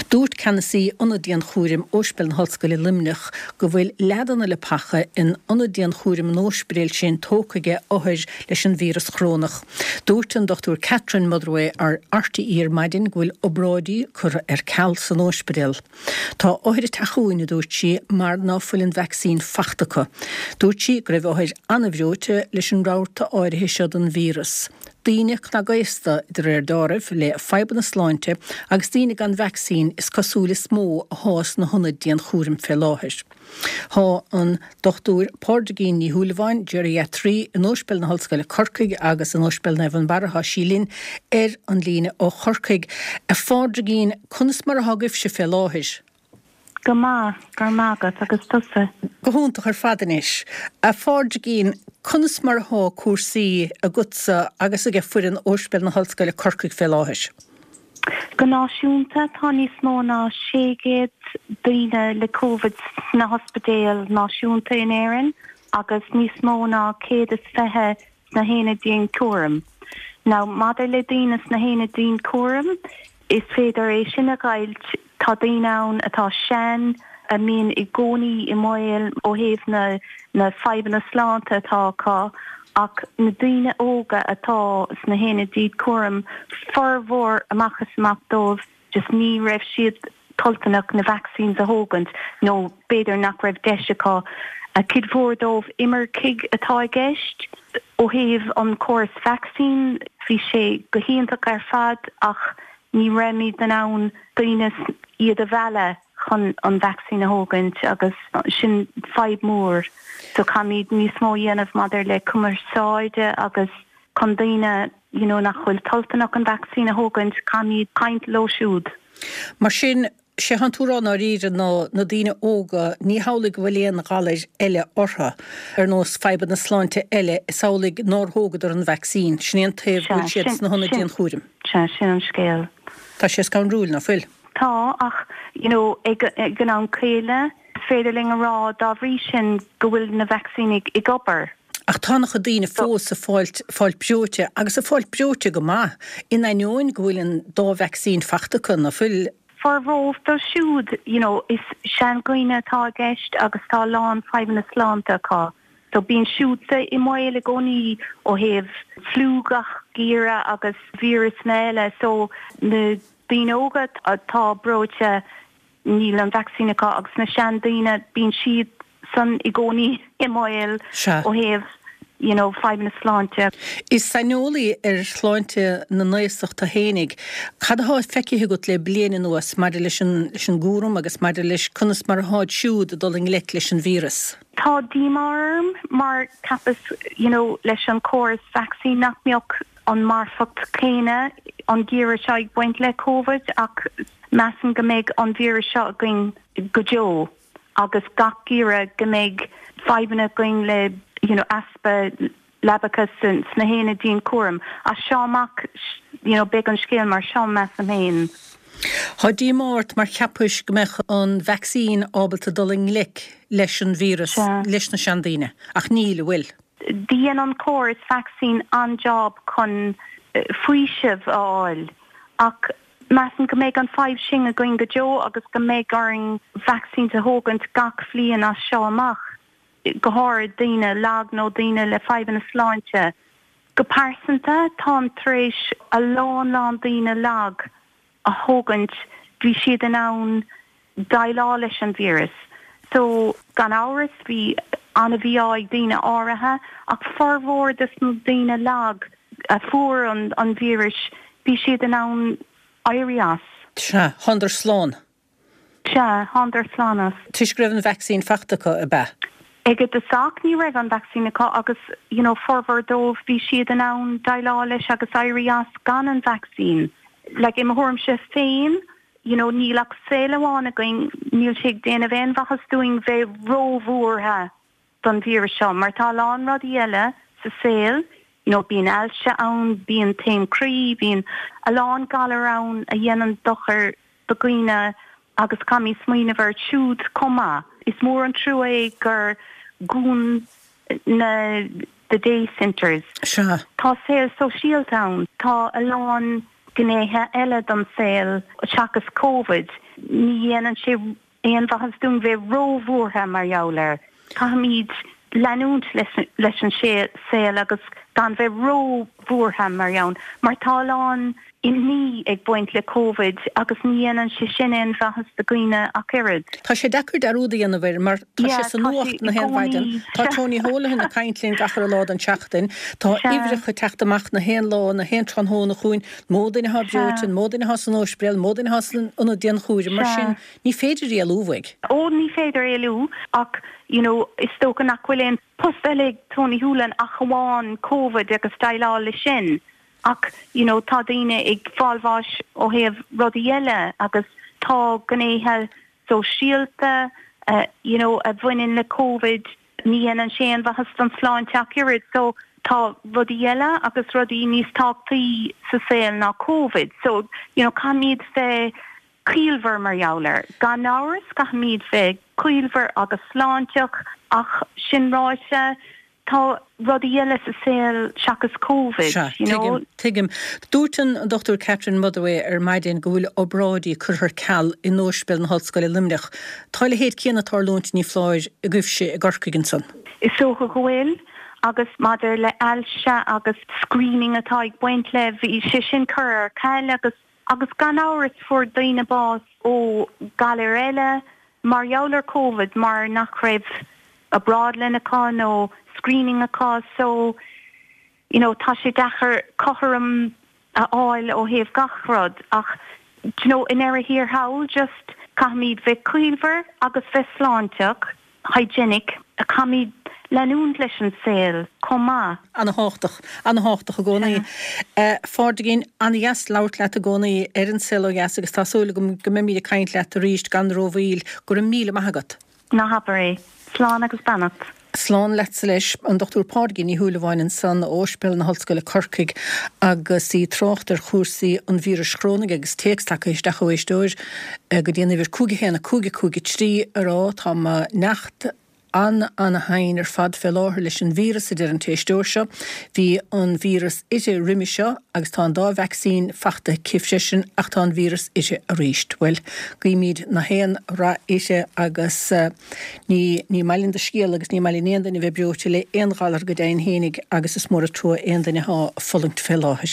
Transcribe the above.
Dúirt ceannasaí Ionad Dianchúraim Ospidéal na hOllscoile Luimneach go bhfuil leath de na leapacha in Ionad Dianchúraim an óispidéil sin tógtha aige othair leis an víreas chorónach. Dúirt an Dr Catherine Motherway ar RTÉ ar maidin go bhfuil obráidí curtha ar ceal san óispidéal. Tá othair ag teacht chugainn, a dúirt sí, mar ná fuil an vacsaín fachta acu. Dúirt sí go raibh othair an-bhreoite leis an rabharta áirithe seo den víreas. Daoine cnagaosta, de réir deáraimh, le fadhbanna sláinte agus daoine gan vacsaín is cosúil is mó athá sna hionaid dianchúraim fé láthair. Thá an Dr Pádraigín Ní Shúilleabháin, geriatraí in Ospidéal na hOllscoile Corcaigh agus in Ospidéal Naomh Fionnbarra, thá sí linn ar an líne ó Chorcaigh. A Phádraigín, conas mar athá agaibhse fé láthair? Go maith, go raibh maith agat, agus tusa? Go hiontach ar fad anois. A Phádraigín, conas mar athá cúrsaí agatsa agus aige foireann Ospidéal na hOllscoile Corcaigh fé láthair? Go náisiúnta, tá níos mó ná 600 daoine le Covid sna hospidéil náisiúnta in Éirinn agus níos mó ná 120 sna haonaid dianchúraim. Now, maidir le daoine sna haonaid dianchúraim, is féidir é sin a dheighilt, tá daoine ann atá sean, a mbíonn i gcónaí i mbaol ó thaobh na na fadhbanna sláinte atá acu, ach na daoine óga atá sna haonaid dianchúraim, formhór amach is amach dóibh, just ní raibh siad toilteanach na vaccines a thógaint nó b'fhéidir nach raibh deis acu. Cuid mhór dóibh imircigh atá i gceist. Ó thaobh an córas vacsaín, bhí sé go hiontach ar fad ach ní raibhimid in ann daoine iad a mhealladh chun an vacsaín a thógaint agus sin fadhb mhór. So caithfimid níos mó a dhéanamh maidir le cumarsáide agus chun daoine you know nach bhfuil toilteanach an vacsaín a thógaint, caithfimid caint leo siúd. Mar sin, sé thánn tú a rá i ndáiríre ná na daoine óga, ní hamhlaidh go bhfuil aon ghalair eile orthu, ar nós fadhbanna sláinte eile, is amhlaidh nár thógadar an vacsaín. Sin é an taobh go bhfuil siad sna hionaid dianchúraim. Sea, sin an scéal. Tá sé scanrúil, ná fuil? Tá, ach you know ag an am céanna, is féidir linn a rá dá bhrí sin go bhfuil na vacsaíní ag obair. Ach tá an-chuid daoine fós ag fáilt, fáilt breoite, agus ag fáilt breoite go maith, in ainneoin go bhfuil an dá vacsaín fachta acu, ná fuil? Formhór dóibh siúd, you know, is seandhaoine atá i gceist agus tá a lán fadhbanna sláinte acu. So bíonn siúd i mbaol i gcónaí ó thaobh fliú gach geimhreadh agus víreasanna eile. So na daoine óga atá breoite, Níl an vacsaín acu agus na seandaoine, bíonn siad san i gcónaí i mbaol ó thaobh you know fadhbanna sláinte. Is saineolaí ar shláinte na n-aosach tú fhéinig. Cad athá feicthe agat le bliain anuas maidir leis an leis an gcúram agus maidir leis conas mar atháid siúd ag dul i ngleic leis an víreas? Tá díomá orm mar cheapas you know leis an córas vacsaín nach mbeadh an marfacht céanna an geimhreadh seo ag baint le Covid ach measaim go mbeidh an víreas seo againn go deo agus gach geimhreadh go mbeidh fadhbanna againn le you know easpa leabacha sna haonaid dianchúraim. As seo amach you know beidh an scéal mar seo measaim féin. Tá díomá ort mar cheapais go mbeadh an vacsaín ábalta dul i ngleic leis an víreas leis na seandaoine ach níl, an bhfuil? Dhein an córas vacsaín an-job chun faoiseamh a fháil ach measaim go mbeidh an fadhb sin againn go deo agus go mbeidh orainn vaccines a thógaint gach bhliain as seo amach, go háirid daoine lag nó daoine le fadhbanna sláinte. Go pearsanta, táim tar éis a lán lán daoine lag a thógaint, bhí siad in ann déileáil leis an víreas. So, gan amhras, bhí an-mhí-ádh ag daoine áirithe, ach formhór de na daoine lag a fuair an víreas, bhí siad in ann éirí as. Sea, thánadar slán. Sea, thánadar slán as. Toisc go raibh an vacsaín fachta acu, ab ea? Ag an dtosach, ní raibh an vacsaín acu agus, you know, formhór dóibh, bhí siad in ann déileáil leis agus éirí as gan an vacsaín. Like, i mo thuairimse féin, you know, níl ach saol amháin againn, níl sé ag déanamh aon mhaitheas dúinn bheith róbhuartha don víreas seo mar tá a lán rudaí eile sa saol, you know, bíonn ailse ann, bíonn taom croí, bíonn a lán galar ann a dhéanann dochar do dhaoine agus caithfimid smaoineamh air siúd chomh maith. Is mór an trua é gur dhún na the day centres. Sea. Tá saol sóisialta ann, tá a lán. gnéithe eile don saol seachas Covid. Ní dhéanann sé aon mhaitheas dúinn bheith róbhuartha mar gheall air. Caithfimid leanúint leis an saol agus gan bheith róbhuartha mar gheall, mar tá a lán imní ag baint le Covid agus ní dhéanann sé sin aon mhaitheas do dhaoine ach oiread. Tá sé deacair dearúd a dhéanamh air mar tá sé sa nuacht na haon mhaidin, tá Tony Holohan ag caint linn gach uile lá den tseachtain, tá uimhreacha ag teacht amach na haon lá, na haon tráthnóna chugainn, mó duine atá breoite, an mó duine atá san óispidéal, an mó duine atá san ionad dianchúraim, mar sin ní féidir éalú uaidh. Ó ní féidir éalú ach you know is dócha nach bhfuil aon post eile ag Tony Holohan ach amháin Covid agus déileáil leis sin ach you know tá daoine ag fáil bháis ó thaobh rudaí eile agus tá gnéithe sóisialta you know a bhaineann le Covid ní dhéanann sé aon mhaitheas don tsláinte ach oiread so tá rudaí eile agus rudaí níos tábhachtaí sa saol ná Covid so you know caithfimid bheith ciallmhar mar gheall air. Gan amhras, caithfimid bheith ciallmhar agus sláinteach, ach sin ráite, tá rudaí eile sa saol seachas Covid, Sea, you know. tuigim, tuigim. Dúirt an Dr Catherine Motherway ar maidin go bhfuil obráidí curtha ar ceal in Ospidéal na hOllscoile Luimneach. Tá a leithéid céanna ag tarlúint, ní foláir, agaibhse i gCorcaigh ansan. Is dócha go bhfuil, agus maidir le ailse agus screening atá ag baint le, bhí sé sin curtha ar ceal agus Agus gan amhras fuair daoine bás ó ghalair eile mar gheall ar Covid mar nach raibh obráidlann acu nó screening acu so you know tá sé deacair cothrom a fháil ó thaobh gach rud ach do you know i ndeireadh thiar thall just caithfimid bheith ciallmhar agus bheith sláinteach. hygienic, caithfimid leanúint leis an saol chomh maith. Ana-thábhachtach. Ana-thábhachtach i gcónaí. A Phádraigín, ana-dheas labhairt leat i gcónaí ar An Saol Ó Dheas agus tá súil agam go mbeimid ag caint leat arís gan rómhoill. Go raibh míle maith agat. Ná habair é. Slán agus beannacht. Slán leatsa leis. An Dr Pádraigín Ní Shúilleabháin ansan ó Ospidéal na hOllscoile Corcaigh agus í ag trácht ar chúrsaí an víris chrónaigh agus téacs tagtha isteach ó éisteoir go dtí an uimhir 5 1 5 5 3 ag rá tá mo neacht an-ana-thinn ar fad fé láthair leis an víreas, a deir an t-éisteoir seo. Bhí an víreas uirthi roimhe seo agus tá an dá vacsaín fachta aici freisin ach tá an víreas uirthi arís. Bhuel, guímid na haon rath uirthi agus ní, ní maith linn do scéal agus ní maith linn aon duine a bheith breoite le aon ghalar go deimhin fhéinig agus is mór an trua aon duine atá ag fulaingt fé láthair.